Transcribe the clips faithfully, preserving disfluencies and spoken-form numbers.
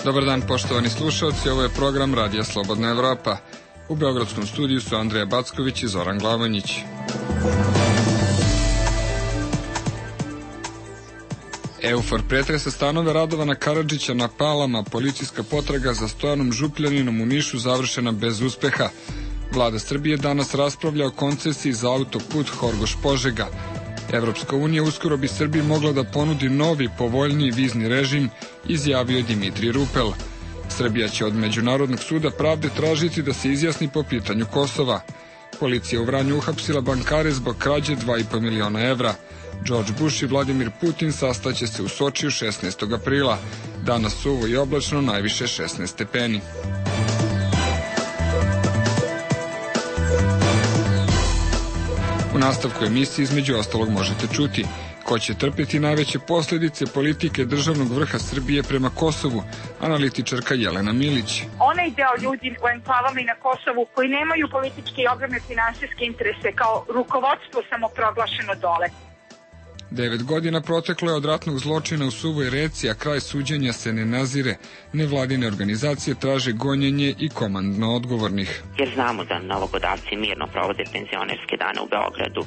Dobar dan, poštovani slušalci, ovo je program Radija Slobodna Evropa. U beogradskom studiju su Andreja Backović i Zoran Glavanjić. Eufor pretresa stanove Radovana Karadžića na Palama, policijska potraga za Stojanom Župljaninom u Nišu završena bez uspeha. Vlada Srbije danas raspravlja o koncesiji za autoput Horgoš-Požega. Evropska unija uskoro bi Srbiji mogla da ponudi novi, povoljniji vizni režim, izjavio Dimitrij Rupel. Srbija će od Međunarodnog suda pravde tražiti da se izjasni po pitanju Kosova. Policija u Vranju uhapsila bankare zbog krađe dva i po miliona evra. George Bush i Vladimir Putin sastaće se u Sočiju šesnaestog aprila. Danas suvo i oblačno, najviše šesnaest stepeni. U nastavku emisije između ostalog možete čuti ko će trpeti najveće posljedice politike državnog vrha Srbije prema Kosovu, analitičarka Jelena Milić. Onaj deo ljudi u enklavama i na Kosovu koji nemaju političke i ogromne finansijske interese kao rukovodstvo samoproglašeno dole. Devet godina proteklo je od ratnog zločina u Suvoj Reci, a kraj suđenja se ne nazire. Nevladine organizacije traže gonjenje i komandno odgovornih. Jer znamo da novogodavci mirno provode penzionerske dane u Beogradu.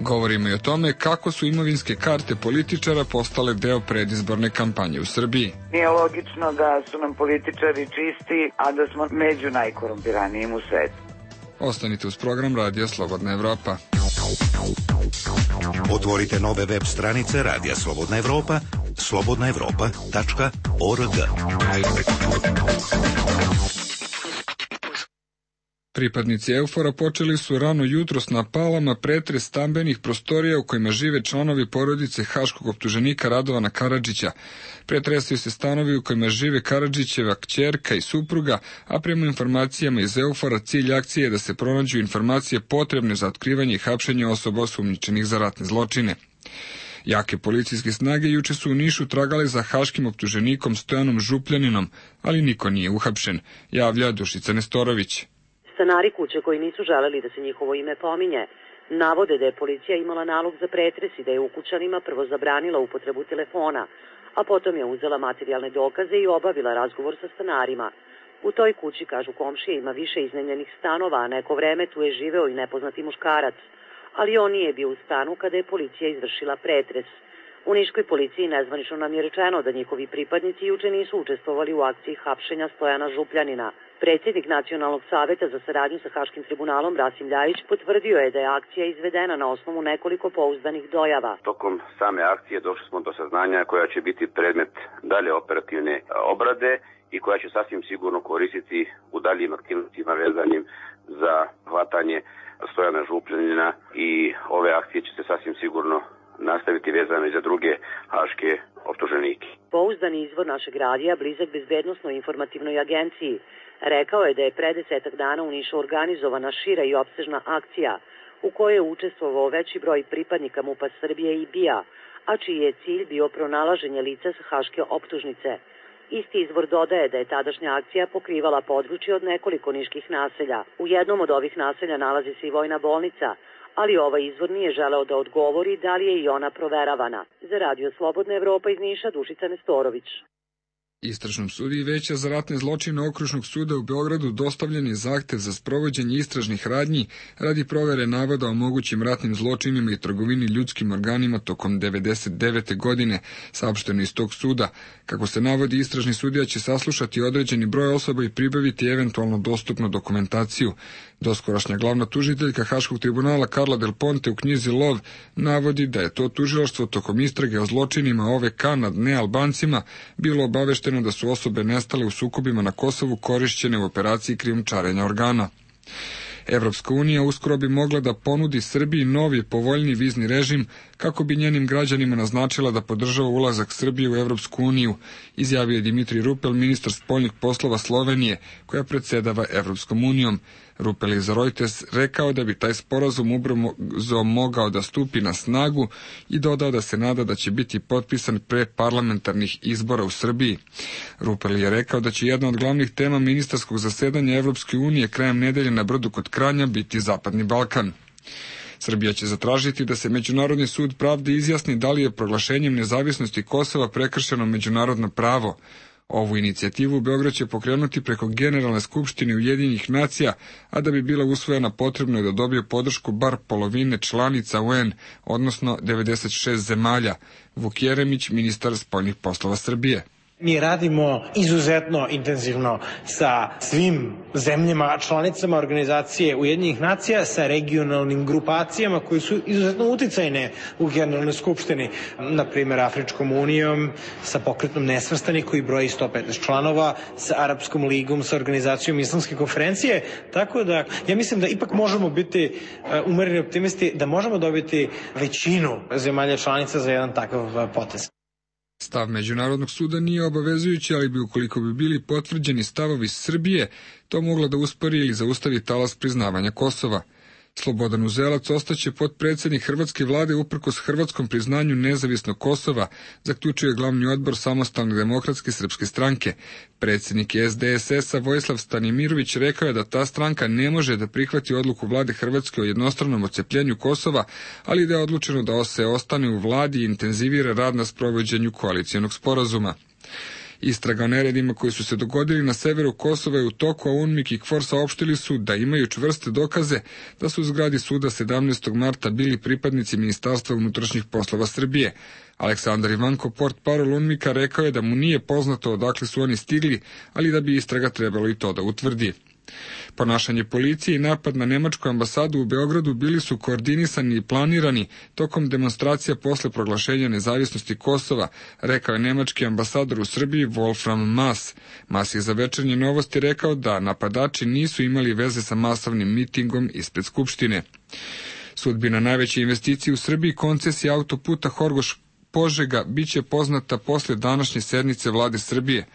Govorimo i o tome kako su imovinske karte političara postale deo predizborne kampanje u Srbiji. Nije logično da su nam političari čisti, a da smo među najkorumpiranijim u svetu. Ostanite uz program Radija Slobodna Evropa. Otvorite nove web stranice Radija Slobodna Evropa, slobodna evropa tačka org. Pripadnici Eufora počeli su rano jutros na Palama pretres stambenih prostorija u kojima žive članovi porodice haškog optuženika Radovana Karadžića. Pretresaju se stanovi u kojima žive Karadžićeva kćerka i supruga, a prema informacijama iz Eufora cilj akcije je da se pronađu informacije potrebne za otkrivanje i hapšenje osoba osumnjičenih za ratne zločine. Jake policijske snage juče su u Nišu tragale za haškim optuženikom Stojanom Župljaninom, ali niko nije uhapšen, javlja Dušica Nestorović. Stanari kuće koji nisu želeli da se njihovo ime pominje, navode da je policija imala nalog za pretres i da je ukućanima prvo zabranila upotrebu telefona, a potom je uzela materijalne dokaze i obavila razgovor sa stanarima. U toj kući, kažu komšije, ima više iznajmljenih stanova, a neko vreme tu je živeo i nepoznati muškarac, ali on nije bio u stanu kada je policija izvršila pretres. U niškoj policiji nezvanično nam je rečeno da njihovi pripadnici juče nisu učestvovali u akciji hapšenja Stojana Župljanina. Predsjednik Nacionalnog saveta za saradnju sa Haškim tribunalom Rasim Ljajić potvrdio je da je akcija izvedena na osnovu nekoliko pouzdanih dojava. Tokom same akcije došli smo do saznanja koja će biti predmet dalje operativne obrade i koja će sasvim sigurno koristiti u daljim aktivnostima vezanim za hvatanje Stojana Župljanina i ove akcije će se sasvim sigurno nastaviti vezano i za druge haške optuženike. Pouzdani izvor našeg radija, blizak bezbednosnoj informativnoj agenciji, rekao je da je pre desetak dana u Nišu organizovana šira i opsežna akcija u kojoj je učestvovao veći broj pripadnika MUP-a Srbije i B I A, a čiji je cilj bio pronalaženje lica sa haške optužnice. Isti izvor dodaje da je tadašnja akcija pokrivala područje od nekoliko niških naselja. U jednom od ovih naselja nalazi se i vojna bolnica, ali ovaj izvor nije želeo da odgovori da li je i ona proveravana. Za Radio Slobodna Evropa iz Niša, Dušica Nestorović. Istražnom sudiji Veća za ratne zločine Okružnog suda u Beogradu dostavljen je zahtev za sprovođenje istražnih radnji radi provere navoda o mogućim ratnim zločinima i trgovini ljudskim organima tokom devedeset devete godine, saopšteno iz tog suda. Kako se navodi, istražni sudija će saslušati određeni broj osoba i pribaviti eventualno dostupnu dokumentaciju. Doskorašnja glavna tužiteljka Haškog tribunala Karla Del Ponte u knjizi Lov navodi da je to tužilaštvo tokom istrage o zločinima O V K nad nealbancima bilo obavešteno da su osobe nestale u sukobima na Kosovu korišćene u operaciji krijumčarenja organa. Evropska unija uskoro bi mogla da ponudi Srbiji novi povoljni vizni režim kako bi njenim građanima naznačila da podržava ulazak Srbije u Evropsku uniju, izjavio je Dimitrij Rupel, ministar spoljnih poslova Slovenije, koja predsedava Evropskom unijom. Rupel je za Reuters rekao da bi taj sporazum ubrzo mogao da stupi na snagu i dodao da se nada da će biti potpisan pre parlamentarnih izbora u Srbiji. Rupel je rekao da će jedna od glavnih tema ministarskog zasedanja Evropske unije krajem nedelje na Brdu kod Kranja biti Zapadni Balkan. Srbija će zatražiti da se Međunarodni sud pravde izjasni da li je proglašenjem nezavisnosti Kosova prekršeno međunarodno pravo. Ovu inicijativu Beograd će pokrenuti preko Generalne skupštine Ujedinjenih nacija, a da bi bila usvojena potrebno je da dobije podršku bar polovine članica U N, odnosno devedeset šest zemalja. Vuk Jeremić, ministar spoljnih poslova Srbije. Mi radimo izuzetno intenzivno sa svim zemljama, članicama organizacije Ujedinjenih nacija, sa regionalnim grupacijama koji su izuzetno uticajne u Generalnoj skupštini, na primjer Afričkom unijom, sa pokretom nesvrstanih koji broji sto petnaest članova, sa Arapskom ligom, sa organizacijom Islamske konferencije, tako da ja mislim da ipak možemo biti umereni optimisti, da možemo dobiti većinu zemalja članica za jedan takav potez. Stav Međunarodnog suda nije obavezujući, ali bi ukoliko bi bili potvrđeni stavovi Srbije, to moglo da uspori ili zaustavi talas priznavanja Kosova. Slobodan Uzelac ostaće potpredsednik hrvatske vlade uprkos hrvatskom priznanju nezavisnog Kosova, zaključio je glavni odbor Samostalne demokratske srpske stranke. Predsjednik S D S S-a Vojislav Stanimirović rekao je da ta stranka ne može da prihvati odluku vlade Hrvatske o jednostranom odcepljenju Kosova, ali da je odlučeno da se ostane u vladi i intenzivira rad na sprovođenju koalicijonog sporazuma. Istraga o neredima koji su se dogodili na severu Kosova je u toku, a UNMIK i KFOR saopštili su da imaju čvrste dokaze da su u zgradi suda sedamnaestog marta bili pripadnici Ministarstva unutrašnjih poslova Srbije. Aleksandar Ivanko, portparol UNMIK-a, rekao je da mu nije poznato odakle su oni stigli, ali da bi istraga trebalo i to da utvrdi. Ponašanje policije i napad na nemačku ambasadu u Beogradu bili su koordinisani i planirani tokom demonstracija posle proglašenja nezavisnosti Kosova, rekao je nemački ambasador u Srbiji Wolfram Maas. Maas je za Večernje novosti rekao da napadači nisu imali veze sa masovnim mitingom ispred Skupštine. Sudbina najveće investicije u Srbiji, koncesija autoputa Horgoš Požega, biće poznata posle današnje sednice vlade Srbije.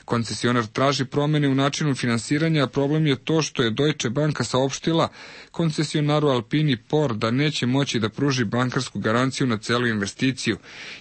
Koncesionar traži promene u načinu finansiranja, a problem je to što je Deutsche Banka saopštila koncesionaru Alpini Por da neće moći da pruži bankarsku garanciju na celu investiciju.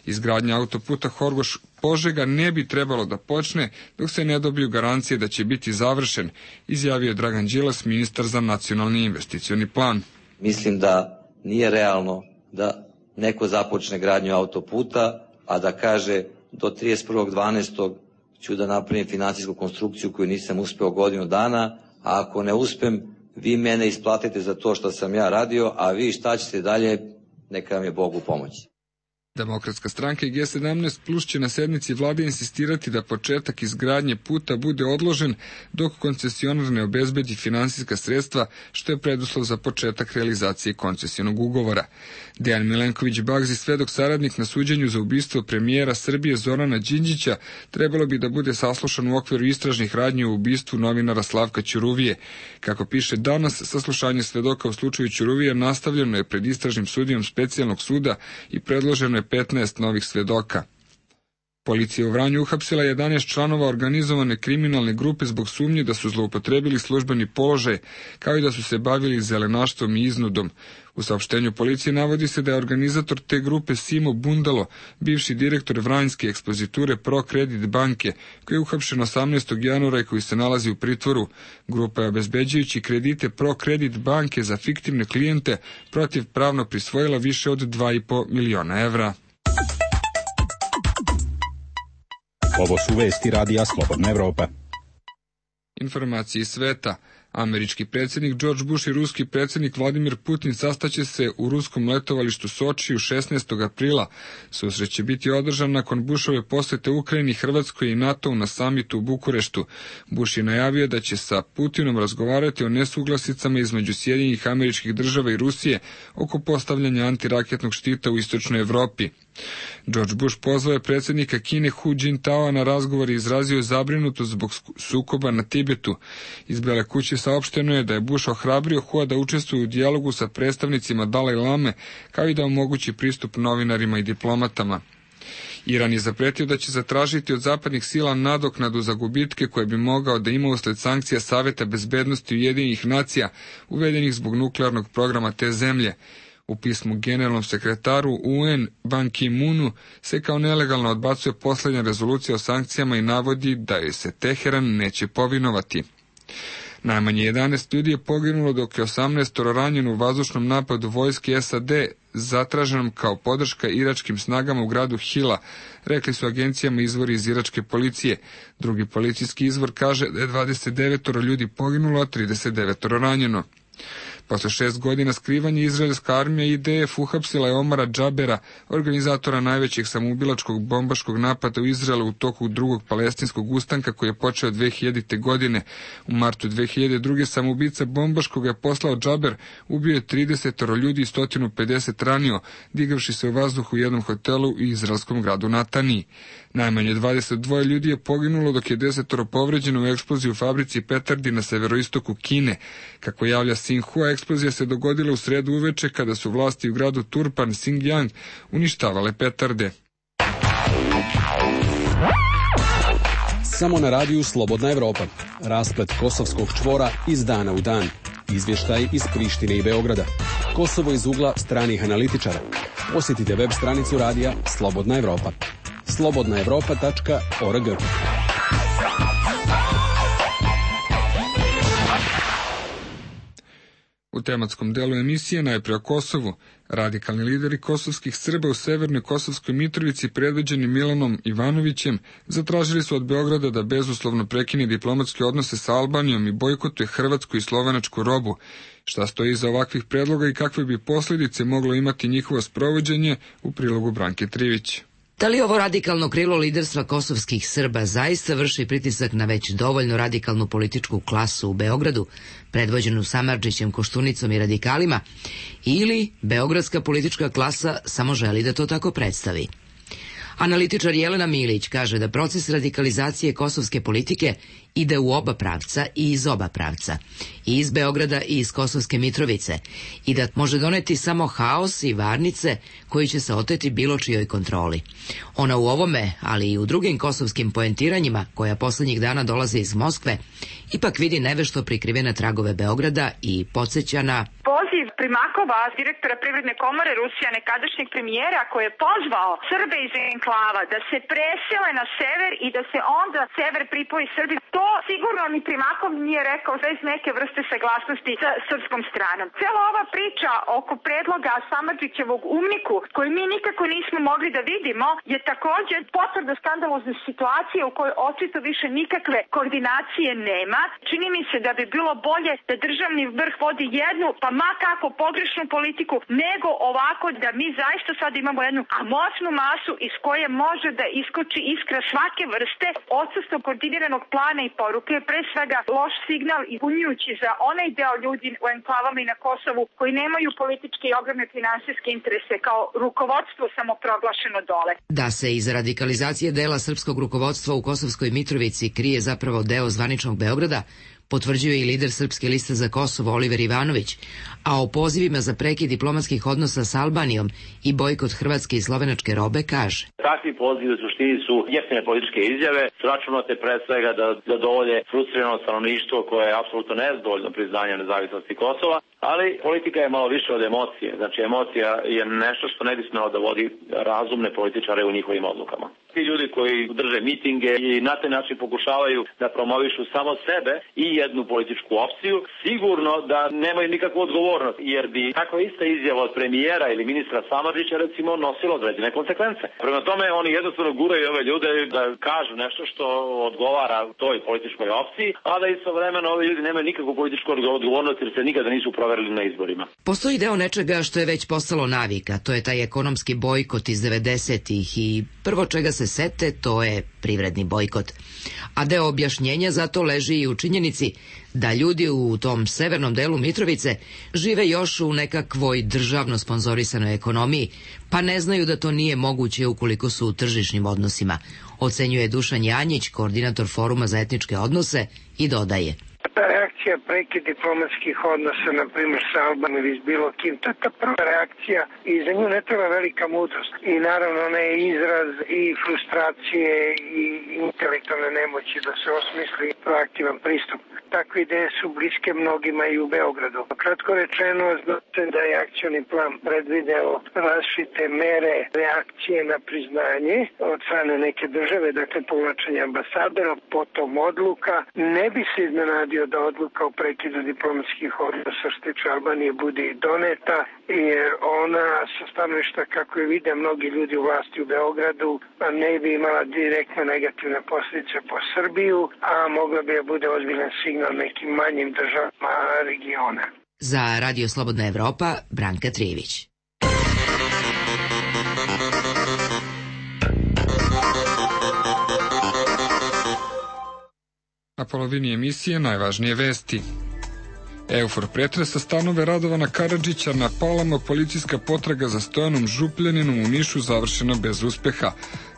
Izgradnja autoputa Horgoš Požega ne bi trebalo da počne dok se ne dobiju garancije da će biti završen, izjavio je Dragan Đilas, ministar za nacionalni investicioni plan. Mislim da nije realno da neko započne gradnju autoputa, a da kaže do trideset prvog dvanaestog ću da napravim finansijsku konstrukciju koju nisam uspeo godinu dana, a ako ne uspem, vi mene isplatite za to što sam ja radio, a vi šta ćete dalje, neka vam je Bog u pomoći. Demokratska stranka i G sedamnaest plus će na sednici vlade insistirati da početak izgradnje puta bude odložen dok koncesionar ne obezbedi finansijska sredstva, što je preduslov za početak realizacije koncesionog ugovora. Dejan Milenković Bagzi, svedok saradnik na suđenju za ubistvo premijera Srbije Zorana Đinđića, trebalo bi da bude saslušan u okviru istražnih radnji o ubistvu novinara Slavka Ćuruvije. Kako piše danas, saslušanje svedoka u slučaju Ćuruvije nastavljeno je pred istražnim sudijom specijalnog suda i predloženo je petnaest novih svedoka. Policija u Vranju uhapsila jedanaest članova organizovane kriminalne grupe zbog sumnje da su zloupotrebili službeni položaj, kao i da su se bavili zelenaštvom i iznudom. U saopštenju policije navodi se da je organizator te grupe Simo Bundalo, bivši direktor Vranjske ekspoziture Pro Kredit banke, koji je uhapšen osamnaestog januara i koji se nalazi u pritvoru. Grupa je obezbeđujući kredite Pro Kredit banke za fiktivne klijente protivpravno prisvojila više od dva i po miliona evra. Ovo su vesti radija Slobodna Evropa. Informacije iz sveta. Američki predsjednik George Bush i ruski predsjednik Vladimir Putin sastaće se u ruskom letovalištu Sočiju šesnaestog aprila. Susret će biti održan nakon Bushove posete Ukrajini, Hrvatskoj i NATO na samitu u Bukureštu. Bush je najavio da će sa Putinom razgovarati o nesuglasicama između Sjedinjenih Američkih Država i Rusije oko postavljanja antiraketnog štita u istočnoj Evropi. George Bush pozvao je predsjednika Kine Hu Jintaoa na razgovor i izrazio zabrinutost zbog sukoba na Tibetu. Iz Bele kuće saopšteno je da je Bush ohrabrio Hua da učestvuje u dijalogu sa predstavnicima Dalaj Lame, kao i da omogući pristup novinarima i diplomatama. Iran je zapretio da će zatražiti od zapadnih sila nadoknadu za gubitke koje bi mogao da ima usled sankcija Saveta bezbednosti Ujedinjenih nacija uvedenih zbog nuklearnog programa te zemlje. U pismu generalnom sekretaru U N Ban Ki-moonu se kao nelegalno odbacuje posljednja rezolucija o sankcijama i navodi da joj se Teheran neće povinovati. Najmanje jedanaest ljudi je poginulo, dok je osamnaest ranjeno u vazdušnom napadu vojske S A D zatraženom kao podrška iračkim snagama u gradu Hila, rekli su agencijama izvori iz iračke policije. Drugi policijski izvor kaže da je dvadeset devet ljudi poginulo, a trideset devet ranjeno. Posle šest godina skrivanja, izraelska armija I D F uhapsila je Omara Džabera, organizatora najvećeg samoubilačkog bombaškog napada u Izraelu u toku drugog palestinskog ustanka koji je počeo dve hiljadite. godine. U martu dve hiljade druge. samoubica bombaškog je poslao Džaber, ubio je trideset ljudi i sto pedeset ranio, digavši se u vazduhu u jednom hotelu u izraelskom gradu Nataniji. Najmanje dvadeset dva ljudi je poginulo, dok je deset povređeno u eksploziji u fabrici petardi na severoistoku Kine. Kako javlja Sinhua, eksplozija se dogodila u sredu uveče kada su vlasti u gradu Turpan, Xinjiang, uništavale petarde. Samo na radiju Slobodna Evropa. Rasplet kosovskog čvora iz dana u dan. Izvještaj iz Prištine i Beograda. Kosovo iz ugla stranih analitičara. Posjetite web stranicu radija Slobodna Evropa. slobodna evropa tačka org. U tematskom delu emisije najpre o Kosovu. Radikalni lideri kosovskih Srba u severnoj Kosovskoj Mitrovici, predvođeni Milanom Ivanovićem, zatražili su od Beograda da bezuslovno prekine diplomatske odnose sa Albanijom i bojkotuje hrvatsku i slovenačku robu. Šta stoji iza ovakvih predloga i kakve bi posljedice moglo imati njihovo sprovođenje, u prilogu Branke Trivić. Da li ovo radikalno krilo liderstva kosovskih Srba zaista vrši pritisak na već dovoljno radikalnu političku klasu u Beogradu, predvođenu Samardžićem, Koštunicom i radikalima, ili beogradska politička klasa samo želi da to tako predstavi? Analitičar Jelena Milić kaže da proces radikalizacije kosovske politike ide u oba pravca i iz oba pravca, i iz Beograda i iz Kosovske Mitrovice, i da može doneti samo haos i varnice koji će se oteti bilo čijoj kontroli. Ona u ovome, ali i u drugim kosovskim poentiranjima, koja posljednjih dana dolaze iz Moskve, ipak vidi nevešto prikrivene tragove Beograda i podsjeća na poziv Primakova, direktora Privredne komore Rusija, nekadašnjeg premijera, koji je pozvao Srbe iz enklava da se presele na sever i da se onda sever pripoji Srbiji. To sigurno ni Primakov nije rekao bez neke vrste saglasnosti sa srpskom stranom. Cela ova priča oko predloga Samardžićevog umniku, koji mi nikako nismo mogli da vidimo, je također potvrda skandalozne situacije u kojoj očito više nikakve koordinacije nema. Čini mi se da bi bilo bolje da državni vrh vodi jednu, pa ma kako pogrešnu politiku, nego ovako da mi zaista sad imamo jednu amorfnu masu iz koje može da iskoči iskra svake vrste. Odsustvo koordiniranog plana i poruke je pre svega loš signal i bunjujući za onaj deo ljudi u enklavama i na Kosovu koji nemaju političke i ogromne finansijske interese kao rukovodstvo samoproglašeno dole. Da se iz radikalizacije dela srpskog rukovodstva u Kosovskoj Mitrovici krije zapravo deo zvaničnog Beograda, potvrđuje i lider Srpske liste za Kosovo Oliver Ivanović, a o pozivima za prekid diplomatskih odnosa s Albanijom i bojkot hrvatske i slovenačke robe kaže: Takvi pozivi u suštini su jeftine političke izjave, računate pre svega da zadovolje frustrirano stanovništvo koje je apsolutno nezadovoljno priznanje nezavisnosti Kosova, ali politika je malo više od emocije. Znači, emocija je nešto što ne bi smelo da vodi razumne političare u njihovim odlukama. Ti ljudi koji drže mitinge i na taj način pokušavaju da promovišu samo sebe i jednu političku opciju, sigurno da nemaju nikakvu odgovornost, jer bi takva ista izjava od premijera ili ministra Samardžića recimo nosila određene konsekvence. Prema tome, oni jednostavno guraju ove ljude da kažu nešto što odgovara toj političkoj opciji, a da istovremeno ovi ljudi nemaju nikakvu političku odgovornost jer se nikada nisu proverili na izborima. Postoji deo nečega što je već postalo navika, to je taj ekonomski bojkot iz devedesetih i prvo čega se sete to je privredni bojkot. A deo objašnjenja za to leži i u činjenici da ljudi u tom severnom delu Mitrovice žive još u nekakvoj državno sponzorisanoj ekonomiji, pa ne znaju da to nije moguće ukoliko su u tržišnim odnosima, ocenjuje Dušan Janjić, koordinator Foruma za etničke odnose, i dodaje: Ta reakcija prekid diplomatskih odnosa, na primjer sa Albanijom ili s bilo kim, to je ta prva reakcija i za nju ne treba velika mudrost. I naravno ona je izraz i frustracije i intelektualne nemoći da se osmisli proaktivan pristup. Takve ideje su bliske mnogima i u Beogradu. Kratko rečeno, znate da je akcioni plan predvideo različite mere reakcije na priznanje od strane neke države, dakle povlačenje ambasadora, potom odluka. Ne bi se iznenadio da odluka o prekidu diplomatskih odnosa što tiče Albanije bude i doneta, jer ona sa stanovišta, kako je vide mnogi ljudi u vlasti u Beogradu, ne bi imala direktne negativne posljedice po Srbiju, a mogla bi je bude ozbiljan signal nekim manjim državama regiona. Za Radio Slobodna Evropa, Branka Trijević. Na polovini emisije najvažnije vesti. Eufor pretresa stanove Radovana Karadžića, na Palama policijska potraga za Stojanom Župljaninom u Nišu završena bez uspeha.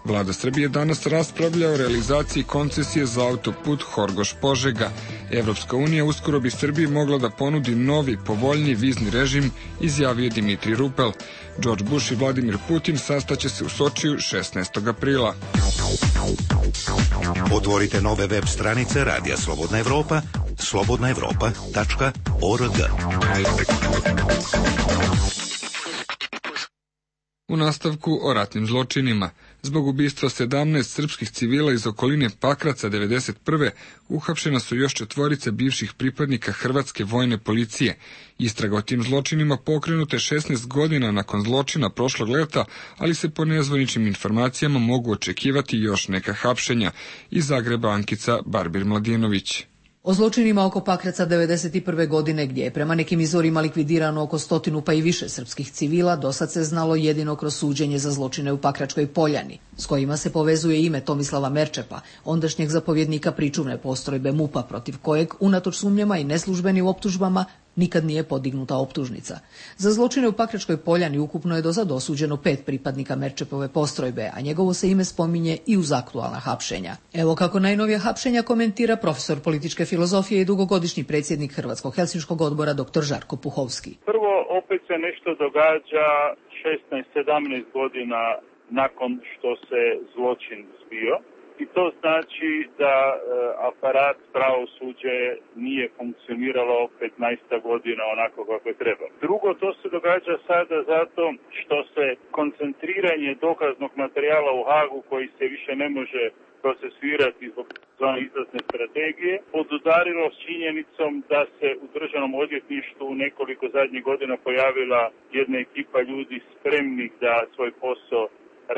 Vlada Srbije danas raspravlja o realizaciji koncesije za autoput Horgoš-Požega. Evropska unija uskoro bi Srbiji mogla da ponudi novi, povoljniji vizni režim, izjavio Dimitrij Rupel. George Bush i Vladimir Putin sastaće se u Sočiju šesnaestog aprila. Otvorite nove web stranice Radija Slobodna Evropa, slobodna evropa tačka org. U nastavku o ratnim zločinima. Zbog ubistva sedamnaest srpskih civila iz okoline Pakraca devedeset prve uhapšena su još četvorica bivših pripadnika hrvatske vojne policije. Istraga o tim zločinima pokrenuta je šesnaest godina nakon zločina prošlog leta, ali se po nezvaničnim informacijama mogu očekivati još neka hapšenja. Iz Zagreba Ankica Barbir Mladinović. O zločinima oko Pakraca devedeset prve godine, gdje je prema nekim izvorima likvidirano oko stotinu pa i više srpskih civila, dosad se znalo jedino kroz suđenje za zločine u Pakračkoj Poljani, s kojima se povezuje ime Tomislava Merčepa, ondašnjeg zapovjednika pričuvne postrojbe MUP-a, protiv kojeg, unatoč sumnjama i neslužbenim optužbama, nikad nije podignuta optužnica. Za zločine u Pakračkoj Poljani ukupno je dosad osuđeno pet pripadnika Merčepove postrojbe, a njegovo se ime spominje i uz aktualna hapšenja. Evo kako najnovija hapšenja komentira profesor političke filozofije i dugogodišnji predsjednik Hrvatskog helsinškog odbora doktor Žarko Puhovski. Prvo, opet se nešto događa šesnaest sedamnaest godina nakon što se zločin zbio. I to znači da e, aparat pravosuđe nije funkcioniralo petnaest godina onako kako je trebalo. Drugo, to se događa sada zato što se koncentriranje dokaznog materijala u Hagu, koji se više ne može procesuirati zbog zvane izlazne strategije, podudarilo s činjenicom da se u državnom odvjetništvu nekoliko zadnjih godina pojavila jedna ekipa ljudi spremnih da svoj posao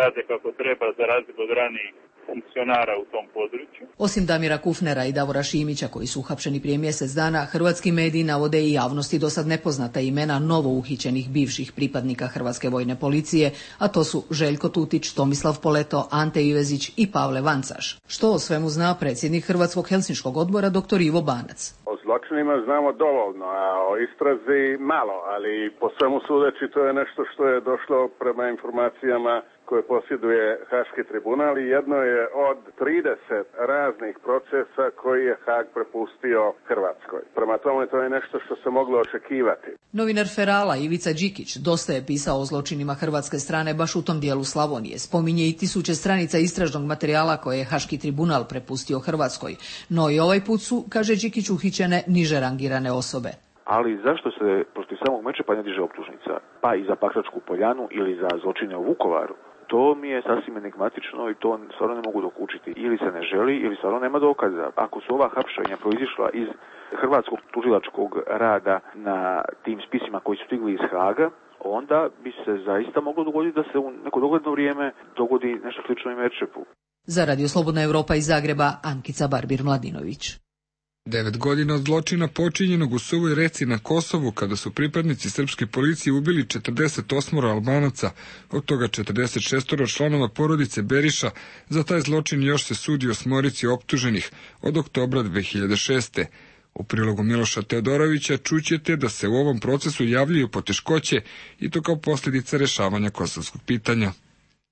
rade kako treba, za razliku od ranijih funkcionara u tom području. Osim Damira Kufnera i Davora Šimića, koji su uhapšeni prije mjesec dana, hrvatski mediji navode i javnosti dosad nepoznata imena novo uhićenih bivših pripadnika Hrvatske vojne policije, a to su Željko Tutić, Tomislav Poleto, Ante Ivezić i Pavle Vancaš. Što o svemu zna predsjednik Hrvatskog helsinškog odbora doktor Ivo Banac. O zločinima znamo dovoljno, a o istrazi malo, ali po svemu sudeći to je nešto što je došlo prema informacijama koje posjeduje Haški tribunal i jedno je od trideset raznih procesa koji je Hag prepustio Hrvatskoj. Prema tome to je nešto što se moglo očekivati. Novinar Ferala Ivica Đikić dosta je pisao o zločinima hrvatske strane baš u tom dijelu Slavonije. Spominje i tisuće stranica istražnog materijala koje je Haški tribunal prepustio Hrvatskoj. No i ovaj put su, kaže Đikić, uhićene niže rangirane osobe. Ali zašto se protiv samog Merčepa ne diže optužnica? Pa i za Pakračku Poljanu ili za zločine u Vukovaru? To mi je sasvim enigmatično i to stvarno ne mogu dokučiti. Ili se ne želi, ili stvarno nema dokaza. Ako su ova hapšenja proizišla iz hrvatskog tužilačkog rada na tim spisima koji su stigli iz Haga, onda bi se zaista moglo dogoditi da se u neko dogledno vrijeme dogodi nešto slično i Merčepu. Za Radio Slobodna Evropa iz Zagreba, Ankica Barbir Mladinović. Devet godina od zločina počinjenog u Suvoj Reci na Kosovu, kada su pripadnici srpske policije ubili četrdeset osam Albanaca, od toga četrdeset šest članova porodice Beriša. Za taj zločin još se sudi osmorici optuženih od oktobra dve hiljade šeste. U prilogu Miloša Teodorovića čućete da se u ovom procesu javljaju poteškoće i to kao posljedica rešavanja kosovskog pitanja.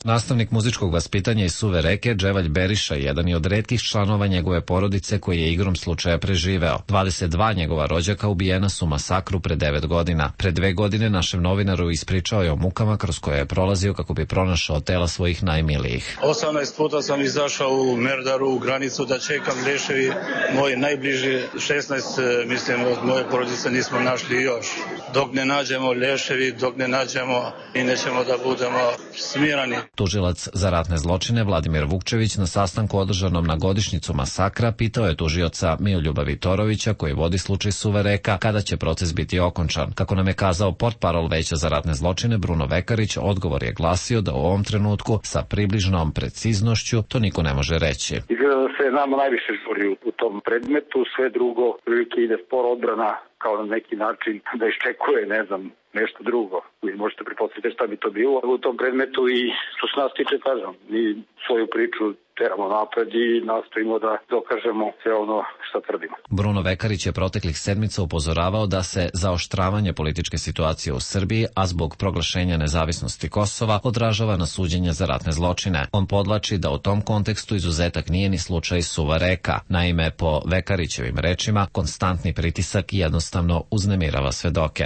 Nastavnik muzičkog vaspitanja iz Suve Reke, Dževalj Beriša, jedan je od retkih članova njegove porodice koji je igrom slučaja preživeo. dvadeset dva njegova rođaka ubijena su u masakru pre devet godina. Pre dve godine našem novinaru ispričao je o mukama kroz koje je prolazio kako bi pronašao tela svojih najmilijih. osamnaest puta sam izašao u Merdaru, u granicu da čekam leševi. Moji najbliži šesnaest, mislim, od moje porodice nismo našli još. Dok ne nađemo leševi, dok ne nađemo i nećemo da budemo smirani. Tužilac za ratne zločine Vladimir Vukčević na sastanku održanom na godišnjicu masakra pitao je tužioca Miloljuba Vitorovića, koji vodi slučaj Suva Reka, kada će proces biti okončan. Kako nam je kazao portparol Veća za ratne zločine Bruno Vekarić, odgovor je glasio da u ovom trenutku sa približnom preciznošću to niko ne može reći. Izgleda da se nama najviše žuri u tom predmetu, sve drugo prilike ide spor odbrana kao na neki način da iščekuje, ne znam, nešto drugo. Vi možete pretpostaviti šta bi to bilo u tom predmetu i što se nas tiče, kažem, mi svoju priču teramo napred i nastojimo da dokažemo sve ono što tvrdimo. Bruno Vekarić je proteklih sedmica upozoravao da se zaoštravanje političke situacije u Srbiji, a zbog proglašenja nezavisnosti Kosova, odražava na suđenje za ratne zločine. On podvlači da u tom kontekstu izuzetak nije ni slučaj Suva Reka. Naime, po Vekarićevim rečima, konstantni pritisak jednostavno uznemirava svedoke.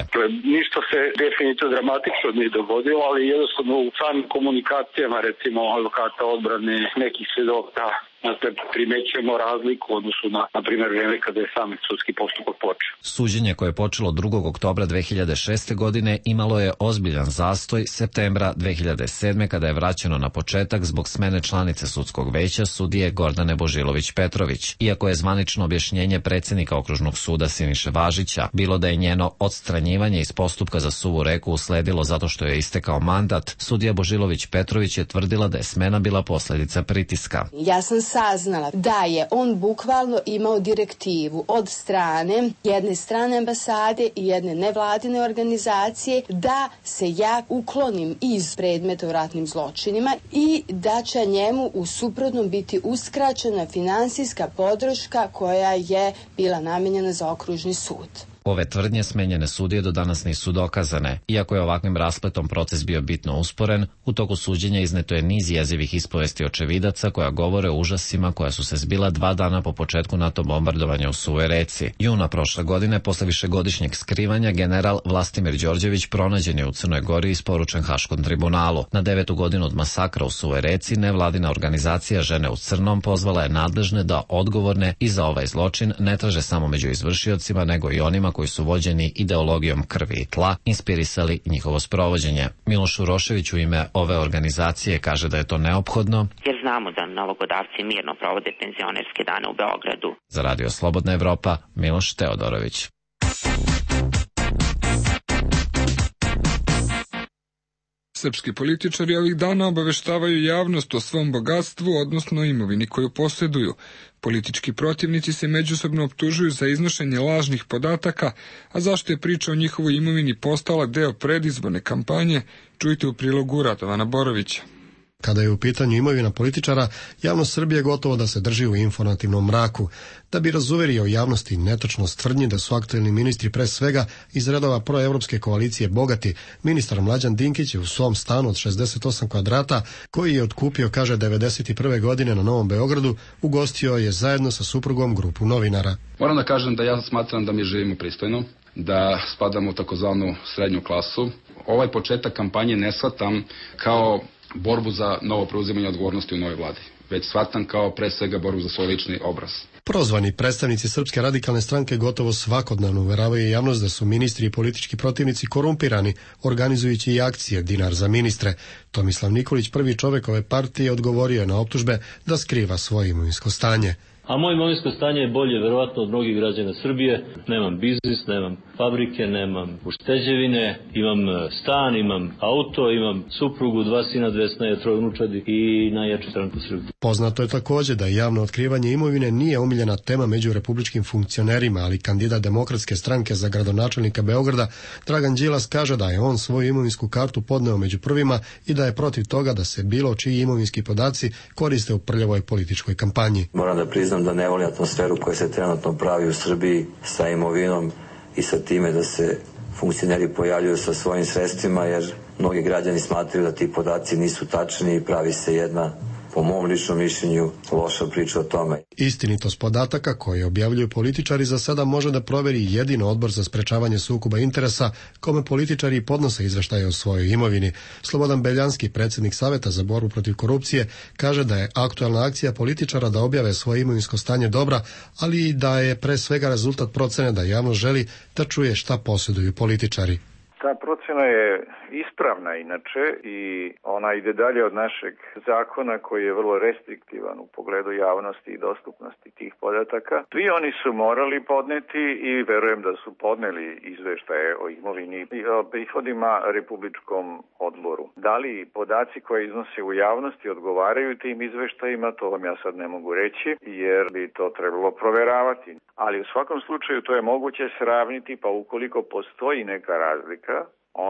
Ništa se definitivno dramatično nije dogodilo, ali jednostavno u samim komunikacijama, recimo advokata odbrane, nekih svedoka, primećujemo razliku u odnosu na, na primjer, vreme kada je sam sudski postupak počeo. Suđenje koje je počelo drugog oktobra dve hiljade šeste. godine imalo je ozbiljan zastoj septembra dve hiljade sedme. kada je vraćeno na početak zbog smene članice sudskog veća sudije Gordane Božilović-Petrović. Iako je zvanično objašnjenje predsjednika okružnog suda Siniše Važića bilo da je njeno odstranjivanje iz postupka za Suvu Reku usledilo zato što je istekao mandat, sudija Božilović-Petrović je tvrdila da je smena bila posljedica pritiska. Ja sam saznala da je on bukvalno imao direktivu od strane jedne strane ambasade i jedne nevladine organizacije da se ja uklonim iz predmeta o ratnim zločinima i da će njemu u suprotnom biti uskraćena finansijska podrška koja je bila namenjena za okružni sud. Ove tvrdnje smenjene sudije do danas nisu dokazane. Iako je ovakvim raspletom proces bio bitno usporen, u toku suđenja izneto je niz jezivih ispovesti očevidaca koja govore o užasima koja su se zbila dva dana po početku NATO bombardovanja u Suvoj Reci. Juna prošle godine, posle višegodišnjeg skrivanja, general Vlastimir Đorđević pronađen je u Crnoj Gori i isporučen Haškom tribunalu. Na devetu godinu od masakra u Suvoj Reci, nevladina organizacija Žene u crnom pozvala je nadležne da odgovorne i za ovaj zločin ne traže samo među izvršiocima, nego i onima koji su vođeni ideologijom krvi i tla, inspirisali njihovo sprovođenje. Miloš Urošević u ime ove organizacije kaže da je to neophodno, jer znamo da nalogodavci mirno provode penzionerske dane u Beogradu. Za Radio Slobodna Evropa, Miloš Teodorović. Srpski političari ovih dana obaveštavaju javnost o svom bogatstvu, odnosno imovini koju posjeduju. Politički protivnici se međusobno optužuju za iznošenje lažnih podataka, a zašto je priča o njihovoj imovini postala deo predizborne kampanje, čujte u prilogu Radovana Borovića. Kada je u pitanju imovina političara, javnost Srbije gotovo da se drži u informativnom mraku. Da bi razuverio javnosti netačnost tvrdnji da su aktuelni ministri pre svega iz redova proevropske koalicije bogati, ministar Mlađan Dinkić je u svom stanu od šezdeset osam kvadrata, koji je otkupio, kaže, devedeset prve. godine na Novom Beogradu, ugostio je zajedno sa suprugom grupu novinara. Moram da kažem da ja smatram da mi živimo pristojno, da spadamo u takozvanu srednju klasu. Ovaj početak kampanje ne shvatam kao borbu za novo preuzimanje odgovornosti u novoj vladi, već shvatam kao pre svega borbu za svoj lični obraz. Prozvani predstavnici Srpske radikalne stranke gotovo svakodnevno uveravaju javnost da su ministri i politički protivnici korumpirani, organizujući i akcije Dinar za ministre. Tomislav Nikolić, prvi čovek ove partije, odgovorio je na optužbe da skriva svoje imovinsko stanje. A moje imovinsko stanje je bolje, verovatno, od mnogih građana Srbije. Nemam biznis, nemam fabrike, nemam ušteđevine, imam stan, imam auto, imam suprugu, dva sina, dve snaje, troje unučadi i najjaču stranku Srbije. Poznato je također da javno otkrivanje imovine nije omiljena tema među republičkim funkcionerima, ali kandidat Demokratske stranke za gradonačelnika Beograda Dragan Đilas kaže da je on svoju imovinsku kartu podneo među prvima i da je protiv toga da se bilo čiji imovinski podaci koriste u prljavoj političkoj kampanji. Moram da priznam da ne volim atmosferu koja se trenutno pravi u Srbiji sa imovinom i sa time da se funkcioneri pojavljuju sa svojim sredstvima, jer mnogi građani smatraju da ti podaci nisu tačni i pravi se jedna, po mom ličnom mišljenju, loša priča o tome. Istinitost podataka koje objavljuju političari za sada može da proveri jedino Odbor za sprečavanje sukoba interesa, kome političari podnose izveštaje o svojoj imovini. Slobodan Beljanski, predsjednik Saveta za borbu protiv korupcije, kaže da je aktualna akcija političara da objave svoje imovinsko stanje dobra, ali i da je pre svega rezultat procene da javnost želi da čuje šta posjeduju političari. Ta procena je ispravna inače i ona ide dalje od našeg zakona koji je vrlo restriktivan u pogledu javnosti i dostupnosti tih podataka. Svi oni su morali podneti i verujem da su podneli izveštaje o imovini i o prihodima Republičkom odboru. Da li podaci koje iznose u javnosti odgovaraju tim izveštajima, to vam ja sad ne mogu reći jer bi to trebalo proveravati. Ali u svakom slučaju to je moguće sravniti, pa ukoliko postoji neka razlika,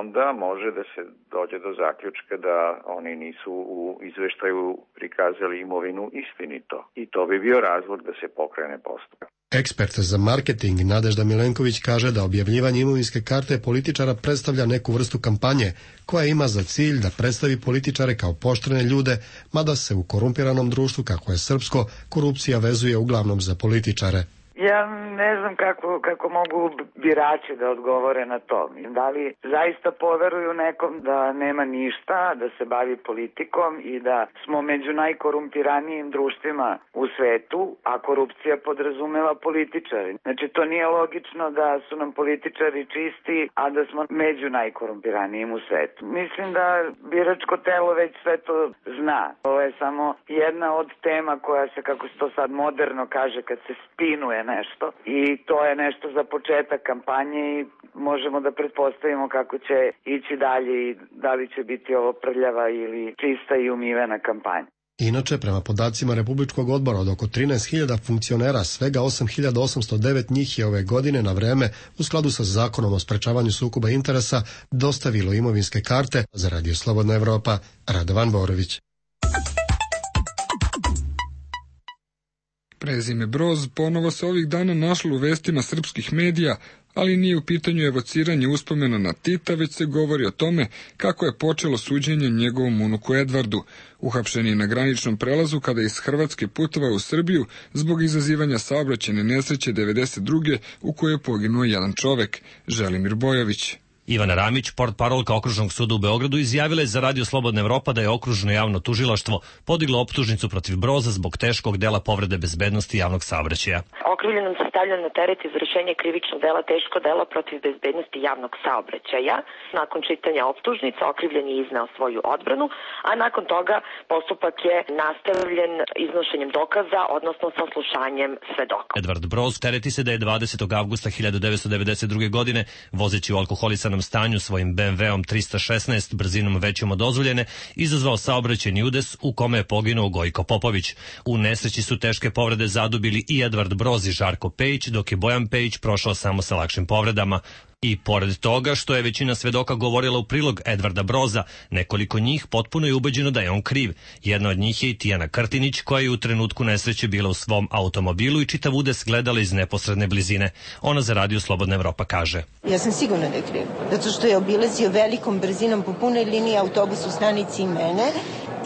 onda može da se dođe do zaključka da oni nisu u izveštaju prikazali imovinu istinito. I to bi bio razlog da se pokrene postupak. Ekspert za marketing Nadežda Milenković kaže da objavljivanje imovinske karte političara predstavlja neku vrstu kampanje koja ima za cilj da predstavi političare kao poštene ljude, mada se u korumpiranom društvu, kako je srpsko, korupcija vezuje uglavnom za političare. Ja ne znam kako, kako mogu birači da odgovore na to. Da li zaista poveruju nekom da nema ništa, da se bavi politikom i da smo među najkorumpiranijim društvima u svetu, a korupcija podrazumeva političari. Znači to nije logično da su nam političari čisti, a da smo među najkorumpiranijim u svetu. Mislim da biračko telo već sve to zna. Ovo je samo jedna od tema koja se, kako se to sad moderno kaže, kad se spinuje nešto i to je nešto za početak kampanje i možemo da pretpostavimo kako će ići dalje i da li će biti ovo prljava ili čista i umivena kampanja. Inače, prema podacima Republičkog odbora od oko trinaest hiljada funkcionera, svega osam hiljada osamsto devet njih je ove godine na vreme, u skladu sa zakonom o sprečavanju sukoba interesa, dostavilo imovinske karte. Za Radio Slobodna Evropa, Radovan Borović. Prezime Broz ponovo se ovih dana našlo u vestima srpskih medija, ali nije u pitanju evociranje uspomena na Tita, već se govori o tome kako je počelo suđenje njegovom unuku Edvardu, uhapšen je na graničnom prelazu kada je iz Hrvatske putovao u Srbiju zbog izazivanja saobraćajne nesreće devedeset druge u kojoj je poginuo jedan čovek, Želimir Bojović. Ivana Ramić, portparolka Okružnog suda u Beogradu, izjavila je za Radio Slobodna Evropa da je Okružno javno tužilaštvo podiglo optužnicu protiv Broza zbog teškog dela povrede bezbednosti javnog saobraćaja. Okrivljenom se stavlja na teret izvršenje krivičnog dela teško delo protiv bezbednosti javnog saobraćaja. Nakon čitanja optužnica okrivljen je izneo svoju odbranu, a nakon toga postupak je nastavljen iznošenjem dokaza, odnosno saslušanjem svedoka. Edvard Broz tereti se da je dvadesetog avgusta hiljadu devetsto devedeset druge. godine, vozeći u alkoholisanom stanju svojim be em veom trista šesnaest brzinom većom od dozvoljene, izazvao saobraćajni udes u kome je poginuo Gojko Popović. U nesreći su teške povrede zadubili i Edvard Broz i Žarko Pejić, dok je Bojan Pejić prošao samo sa lakšim povredama. I pored toga što je većina svedoka govorila u prilog Edvarda Broza, nekoliko njih potpuno je ubeđeno da je on kriv. Jedna od njih je i Tijana Krtinić, koja je u trenutku nesreće bila u svom automobilu i čitav udes gledala iz neposredne blizine. Ona za Radio Slobodna Evropa kaže: Ja sam sigurna da je kriv, zato što je obilazio velikom brzinom po punoj liniji autobus u stanici i mene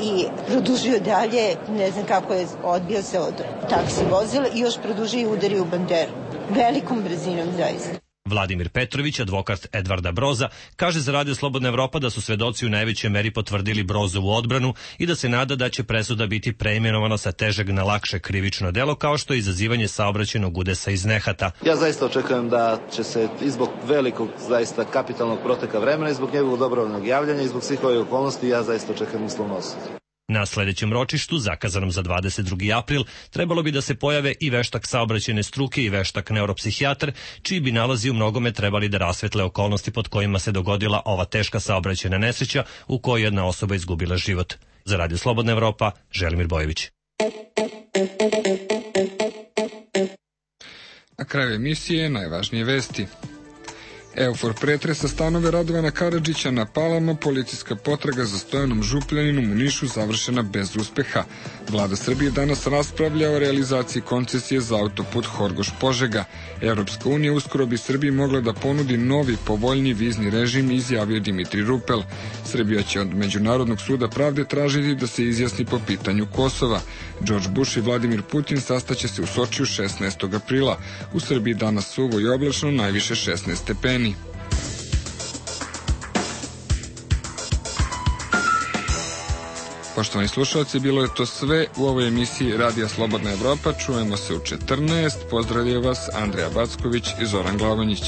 i produžio dalje, ne znam kako je odbio se od taksi vozila i još produžio i udario u banderu. Velikom brzinom zaista. Vladimir Petrović, advokat Edvarda Broza, kaže za Radio Slobodna Evropa da su svedoci u najvećoj meri potvrdili Brozovu odbranu i da se nada da će presuda biti preimenovana sa težeg na lakše krivično delo, kao što je izazivanje saobraćajnog udesa iz nehata. Ja zaista očekujem da će se i zbog velikog, zaista kapitalnog proteka vremena i zbog njegovog dobrovoljnog javljanja i zbog svih ovih okolnosti, ja zaista očekujem uslovnu osudu. Na sledećem ročištu, zakazanom za dvadeset drugi april, trebalo bi da se pojave i veštak saobraćajne struke i veštak neuropsihijatar, čiji bi nalazi u mnogome trebali da rasvetle okolnosti pod kojima se dogodila ova teška saobraćajna nesreća u kojoj jedna osoba izgubila život. Za Radio Slobodna Evropa, Želimir Bojović. Na kraju emisije najvažnije vesti. Eufor pretresa stanove Radovana Karadžića na Palama, policijska potraga za Stojanom Župljaninom u Nišu završena bez uspeha. Vlada Srbije danas raspravlja o realizaciji koncesije za autoput Horgoš-Požega. Evropska unija uskoro bi Srbiji mogla da ponudi novi, povoljni vizni režim, izjavio Dimitri Rupel. Srbija će od Međunarodnog suda pravde tražiti da se izjasni po pitanju Kosova. George Bush i Vladimir Putin sastaće se u Sočiju šesnaestog aprila. U Srbiji danas suvo i oblačno, najviše šesnaest stepeni. Poštovani slušalci, bilo je to sve u ovoj emisiji Radija Slobodna Evropa. Čujemo se u četrnaest. Pozdravljaju vas Andreja Backović i Zoran Glavonjić.